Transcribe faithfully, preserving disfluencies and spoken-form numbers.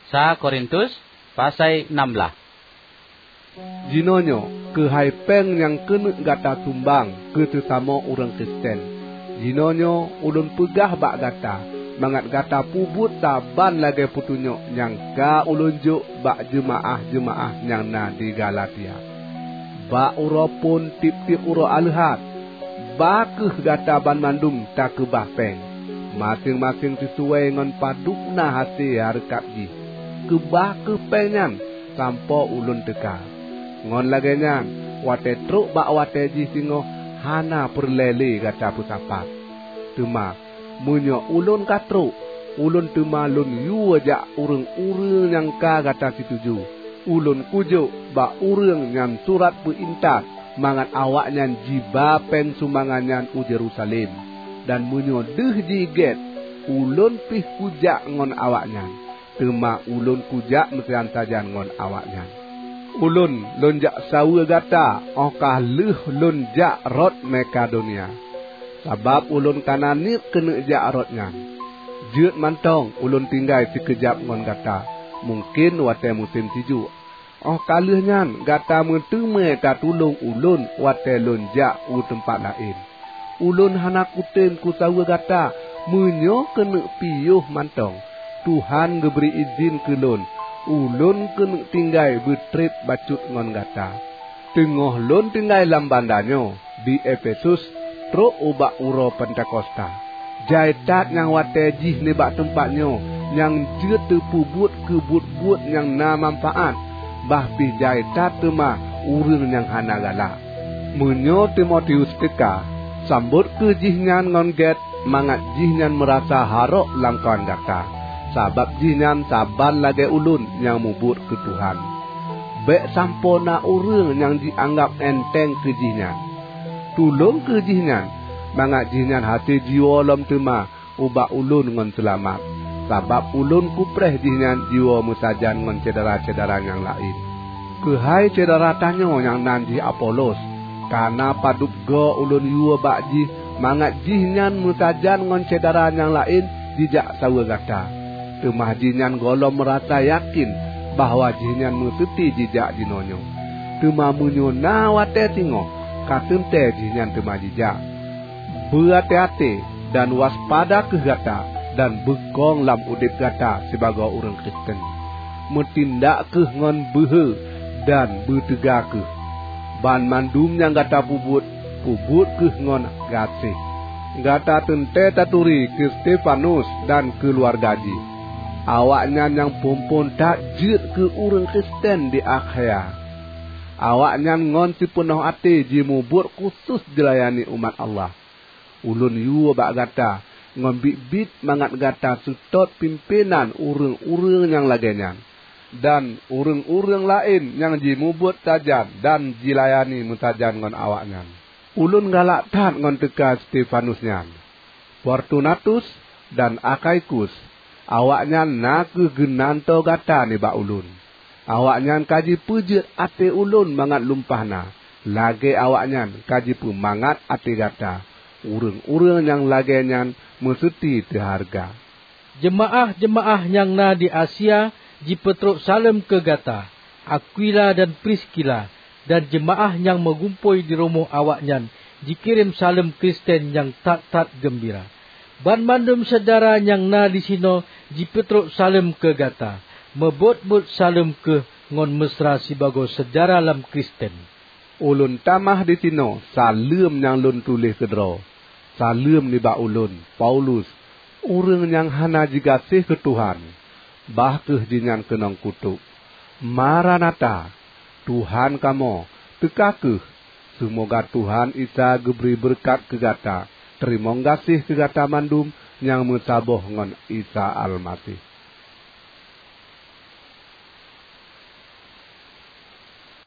Sa Korintus, pasai enam blaih. Jinoenyoe keuhai péng nyang keuneuk gata sumbang keu seusamoe ureuëng Kristen. Jinoenyoe ulôn peugah bak gata, mangat gata peubuet saban lagée peutunyok nyang ka ulôn jok bak jeumaáh-jeumaáh nyang na di Galatia. Bak uroe phon tieb-tieb uroe Aleuhat, ba kheueh gata banmandum takeubah péng, maséng-maséng sisuai ngon padub na hasé hareukat jih. Keubah kheueh péng nyan sampoe ulôn teuka. Ngon lagée nyan, watée trok bak watée jih singoh hana peureulée lé gata peusapat. Teuma, meunyoe ulôn ka trok, ulôn teuma lôn yue jak ureuëng-ureuëng nyang ka gata situju. Ulôn kujok bak ureuëng nyang surat peuintat mangat awaknyan jiba péng sumbangan nyan u Yerusalem. Dan meunyoe deuh jigét, ulôn pih kujak ngon awaknyan, teuma ulôn kujak meusajan-sajan ngon awaknyan. Ulôn lôn jak saweue gata óh ka lheueh lôn jak rot Makedonia, sabab ulôn kana niet keuneuk jak rot nyan. Jeuet mantong ulôn tinggai sikeujab ngon gata, mungken watée musém sijuek. Óh ka lheueh nyan gata meuteumé tatulông ulôn watée lôn jak u teumpat laén. Ulôn hana kutem kusaweue gata meunyoe keuneuk piôh mantong. Tuhan geubri idhin keu lôn, ulôn keuneuk tinggai beutreb bacut ngon gata. Teungoh lôn tinggai lam banda nyoe di Efesus trok ubak uroe Pentakosta, jai that nyang watée jih nibak teumpat nyoe nyang jeuet teupeubuet keu buet-buet nyang na manfaát, bah pih jai that teuma ureuëng nyang hana galak. Meunyoe Timotius teuka, sambot kheueh jihnyan ngon gét mangat jihnyan meurasa harok lamkawan gata, sabab jihnyan saban lagée ulôn nyang mubuet keu Tuhan. Bék sampoe na ureuëng nyang jianggab enteng keu jihnyan. Tulông kheueh jihnyan, mangat jihnyan hase jiwoe lom teuma ubak ulôn ngon seulamat, sabab ulôn kupreh jihnyan jiwoe meusajan ngon syedara-syedara nyang laén. Keuhai syedara tanyoe nyang nan jih Apolos, kana padub goe ulôn yue bak jih mangat jihnyan meusajan ngon syedara nyang laén jijak saweue gata. Teuma jihnyan gohlom meurasa yakén bahwa jihnyan meuseuti jijak jinoenyoe. Teuma meunyoe na watée singoh, ka teuntée jihnyan teuma jijak. Beuaté-até dan waspada kheueh gata dan beukong lam udeb gata sibagoe ureuëng Kristen. Meutindak kheueh ngon beuhe dan beuteuga kheueh. Banmandum nyang gata peubuet, peubuet kheueh ngon gaséh. Gata teuntée taturi keu Stefanus dan keuluwarga jih. Awaknyan nyang phon-phon that jeuet keu ureuëng Kristen di Akhaya. Awaknyan ngon sipeunoh até jimubuet khusos jilayani umat Allah. Ulôn yue bak gata ngon biet-biet mangat gata seutôt pimpénan ureuëng-ureuëng nyang lagée nyan, dan ureuëng-ureuëng laén nyang jimubuet sajan dan jilayani meusajan ngon awaknyan. Ulôn galak that ngon teuka Stefanus nyan. Fortunatus dan Akhaikus, awaknyan na kheueh geunantoe gata nibak ulôn. Awaknyan ka jipeujeuet até ulôn mangat lumpah na, lagée awaknyan ka jipeumangat até gata. Ureuëng-ureuëng nyang lagée nyan meuseuti teuhareuga. Jeumaáh-jeumaáh nyang na di Asia jipeutrok saleuem keu gata. Akwila dan Priskila dan jeumaáh nyang meugumpôi di rumoh awaknyan jikirém saleuem Kristen nyang that-that geumbira. Banmandum syedara nyang na disinoe jipeutrok saleuem keu gata. Meubot-bot saleuem kheueh ngon meusra sibagoe syedara lam Kristen. Ulôn tamah disinoe saleuem nyang lôn tuléh keudroe. Saleuem nibak ulôn, Paulus, ureuëng nyang hana jigaséh keu Tuhan, bah kheueh jihnyan keunong kutok. Maranatha! Tuhan kamoe, teuka kheueh! Seumoga Tuhan Isa geubri beureukat keu gata. Teurimong gaséh keu gata mandum nyang meusaboh ngon Isa Almaseh.